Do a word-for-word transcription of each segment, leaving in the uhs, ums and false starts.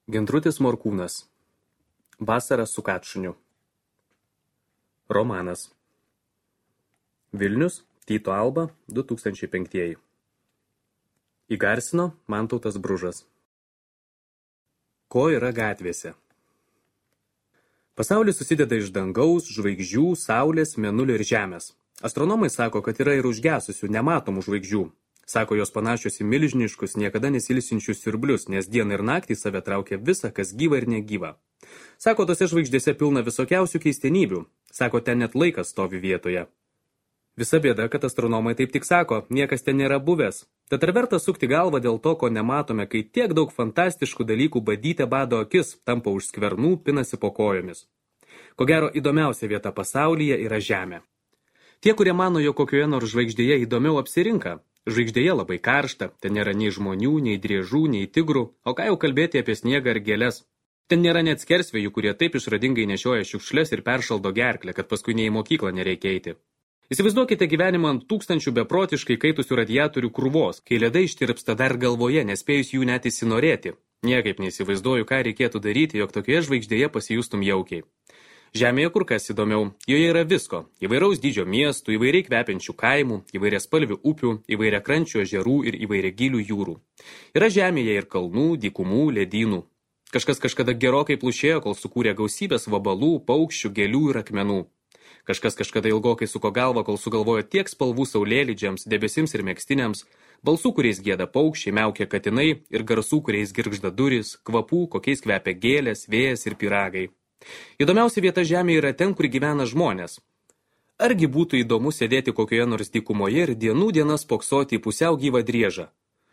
Gintrutis Morkūnas. Vasara su Katšuniu. Romanas. Vilnius, Tyto Alba, du tūkstančiai penktieji. Įgarsino Mantautas Bružas. Ko yra gatvėse? Pasaulis susideda iš dangaus, žvaigždžių, saulės, mėnulio ir žemės. Astronomai sako, kad yra ir užgesusių, nematomų žvaigždžių. Sako, jos panašios į milžiniškus, niekada nesilsinčius siurblius, nes dieną ir naktį save traukia visa, kas gyva ir negyva. Sako, tose žvaigždėse pilna visokiausių keistenybių. Sako, ten net laikas stovi vietoje. Visa bėda, kad astronomai taip tik sako, niekas ten nėra buvęs. Tad ar verta sukti galvą dėl to, ko nematome, kai tiek daug fantastiškų dalykų badyte bado akis, tampa už skvernų, pinasi po kojomis. Ko gero, įdomiausia vieta pasaulyje yra Žemė. Tie, kurie mano, jog kokioje nors žvaigždėje įdomiau apsirinka, žvaigždėje labai karšta, ten nėra nei žmonių, nei driežų, nei tigrų, o ką jau kalbėti apie sniegą ar gėles. Ten nėra net skersvėjų, kurie taip išradingai nešioja šiukšles ir peršaldo gerklę, kad paskui nei į mokyklą nereikia eiti. Įsivaizduokite gyvenimą ant tūkstančių beprotiškai kaitusių radiatorių krūvos, kai ledai ištirpsta dar galvoje, nespėjus jų net įsinorėti. Niekaip neįsivaizduoju, ką reikėtų daryti, jog tokioje žvaigždėje pasijustum jaukiai. Žemėje kur kas įdomiau, joje yra visko – įvairaus dydžio miestų, įvairiai kvepiančių kaimų, įvairiaspalvių upių, įvairiakrančių ežerų ir įvairiagilių jūrų. Yra žemėje ir kalnų, dykumų, ledynų. Kažkas kažkada gerokai plušėjo, kol sukūrė gausybės vabalų, paukščių, gėlių ir akmenų. Kažkas kažkada ilgokai suko galvą, kol sugalvojo tiek spalvų saulėlydžiams, debesims ir megztiniams, balsų, kuriais gieda paukščiai, miaukia katinai ir garsų, kuriais girgžda durys, kvapų, kokiais kvepia gėlės, vėjas ir pyragai. Įdomiausia vieta Žemėje yra ten, kur gyvena žmonės. Argi būtų įdomu sėdėti kokioje nors dykumoje ir dienų dienas spoksoti į pusiau gyvą driežą?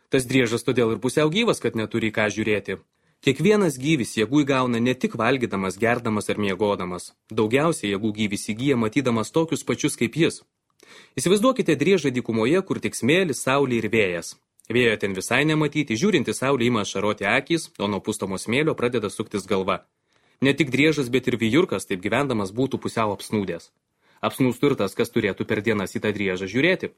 Tas driežas todėl ir pusiau gyvas, kad neturi ką žiūrėti. Kiekvienas gyvis jėgų įgauna ne tik valgydamas, gerdamas ar miegodamas. Daugiausiai jėgų gyvis įgyja matydamas tokius pačius kaip jis. Įsivaizduokite driežą dykumoje, kur tik smėlis, saulė ir vėjas. Vėjo ten visai nematyti, žiūrinti saulė ima ašaroti akys, o nuo pustomo smėlio pradeda suktis galva. Ne tik driežas, bet ir vijurkas, taip gyvendamas būtų pusiau apsnūdęs. Apsnūstų ir tas, kas turėtų per dienas į tą driežą žiūrėti.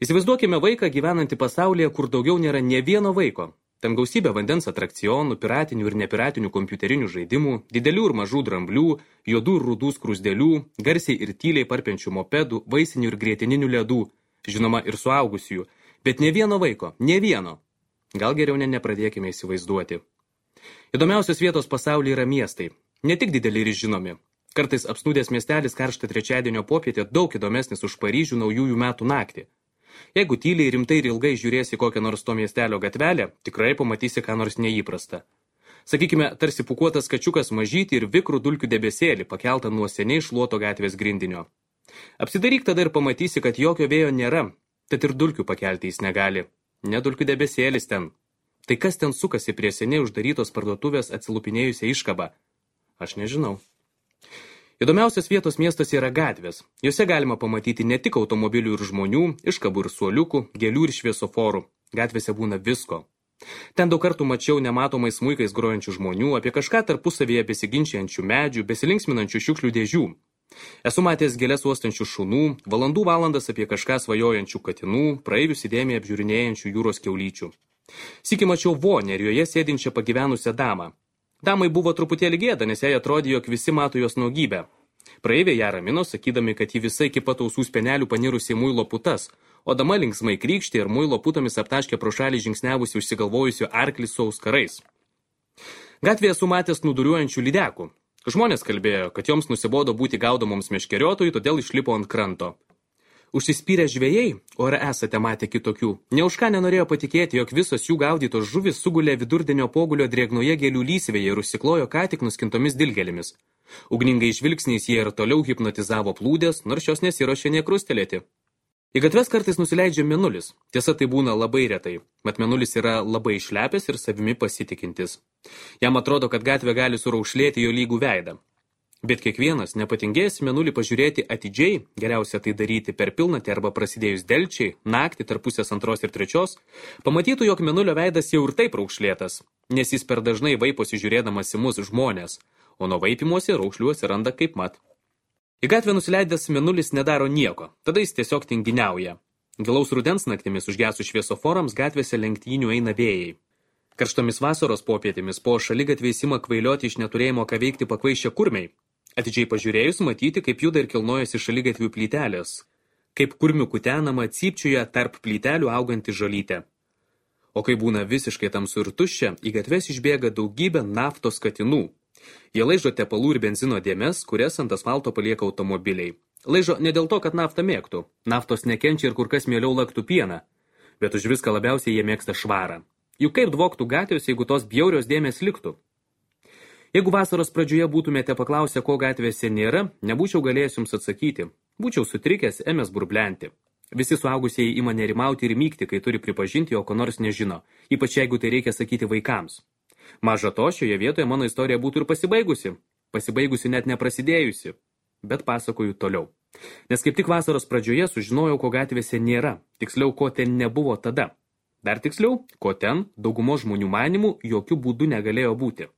Įsivaizduokime vaiką gyvenantį pasaulyje, kur daugiau nėra nė vieno vaiko. Ten gausybė vandens atrakcionų, piratinių ir nepiratinių kompiuterinių žaidimų, didelių ir mažų dramblių, juodų ir rudų skrusdėlių, garsiai ir tyliai parpenčių mopedų, vaisinių ir grietininių ledų, žinoma ir suaugusiųjų, bet nė vieno vaiko, nė vieno. Gal geriau ne nepradėkime įsivaizduoti. Įdomiausios vietos pasaulyje yra miestai, ne tik dideli ir žinomi. Kartais apsnūdęs miestelis karštą trečiadienio popietę daug įdomesnis už Paryžių naujųjų metų naktį. Jeigu tyliai, rimtai ir ilgai žiūrėsi kokią nors to miestelio gatvelę, tikrai pamatysi ką nors neįprasta. Sakykime, tarsi pūkuotas kačiukas mažytį ir vikrų dulkių debesėlį pakeltą nuo seniai šluoto gatvės grindinio. Apsidaryk tada ir pamatysi, kad jokio vėjo nėra, tad ir dulkių pakelti jis negali. Ne dulkių debesėlis ten. Tai kas ten sukasi prie seniai uždarytos parduotuvės atsilupinėjusią iškabą? Aš nežinau. Įdomiausios vietos miestuose yra gatvės. Jose galima pamatyti ne tik automobilių ir žmonių, iškabų ir suoliukų, gėlių ir šviesoforų. Gatvėse būna visko. Ten daug kartų mačiau nematomais smuikais grojančių žmonių, apie kažką tarpusavyje besiginčiančių medžių, besilinksminančių šiukšlių dėžių. Esu matęs gėles uostančių šunų, valandų valandas apie kažką svajojančių katinų, praeivius įdėmiai apžiūrinėjančių jūros kiaulyčių. Sykį mačiau vonę ir joje sėdinčią pagyvenusią damą. Damai buvo truputėlį gėda, nes jai atrodė, jog visi mato jos nuogybę. Praeiviai ją ramino, sakydami, kad ji visai iki pat ausų spenelių panirusi į muilo putas, o dama linksmai krykštė ir muilo putomis aptaškė pro šalį žingsniavusi užsigalvojusių arklį su auskarais. Gatvėje esu matęs nuduriuojančių lydekų. Žmonės kalbėjo, kad joms nusibodo būti gaudomoms meškeriotojų, todėl išlipo ant kranto. Užsispyrę žvejai, o ar esate matę kitokių, ne už ką nenorėjo patikėti, jog visos jų gaudytos žuvis sugulė vidurdienio pogulio drėgnoje gėlių lysvėje ir užsiklojo ką tik nuskintomis dilgėlėmis. Ugningai žvilgsniais jie ir toliau hipnotizavo plūdės, nors šios nesiruošė nė krustelėti. Į gatves kartais nusileidžia mėnulis. Tiesa, tai būna labai retai, mat mėnulis yra labai išlepęs ir savimi pasitikintis. Jam atrodo, kad gatvė gali suraušlėti jo lygų veidą. Bet kiekvienas, nepatingėjęs mėnulį pažiūrėti atidžiai, geriausia tai daryti per pilnatį arba prasidėjus delčiai, naktį tarp pusės antros ir trečios, pamatytų, jog mėnulio veidas jau ir taip raukšlėtas, nes jis per dažnai vaiposi žiūrėdamas į mus žmonės, o nuo vaipimuose raukšlių atsiranda kaip mat. Į gatvę nusileidęs mėnulis nedaro nieko, tada jis tiesiog tinginiauja. Gilaus rudens naktimis užgesų šviesoforams gatvėse lenktynių eina vėjai. Karštomis vasaros popietėmis po šaligatviais ima kvailioti iš neturėjimo ką veikti pakvaišę kurmiai. Atidžiai pažiūrėjus matyti, kaip juda ir kilnojasi šaligatvių plytelės, kaip kurmių kutenama cypčiuja tarp plytelių auganti žolytė. O kai būna visiškai tamsu ir tuščia, į gatves išbėga daugybė naftos katinų. Jie laižo tepalų ir benzino dėmes, kurias ant asfalto palieka automobiliai. Laižo ne dėl to, kad naftą mėgtų. Naftos nekenčia ir kur kas mieliau laktų pieną. Bet už viską labiausiai jie mėgsta švarą. Juk kaip dvoktų gatvės, jeigu tos bjaurios dėmės liktų? Jeigu vasaros pradžioje būtumėte paklausę, ko gatvėse nėra, nebūčiau galėjęs jums atsakyti. Būčiau sutrikęs, ėmęs burblenti. Visi suaugusieji ima nerimauti ir mykti, kai turi pripažinti, jog ko nors nežino, ypač jeigu tai reikia sakyti vaikams. Maža to, šioje vietoje mano istorija būtų ir pasibaigusi. Pasibaigusi net neprasidėjusi. Bet pasakoju toliau. Nes kaip tik vasaros pradžioje sužinojau, ko gatvėse nėra, tiksliau, ko ten nebuvo tada. Dar tiksliau, ko ten, daugumo žmonių manimų, jokių būdų negalėjo būti.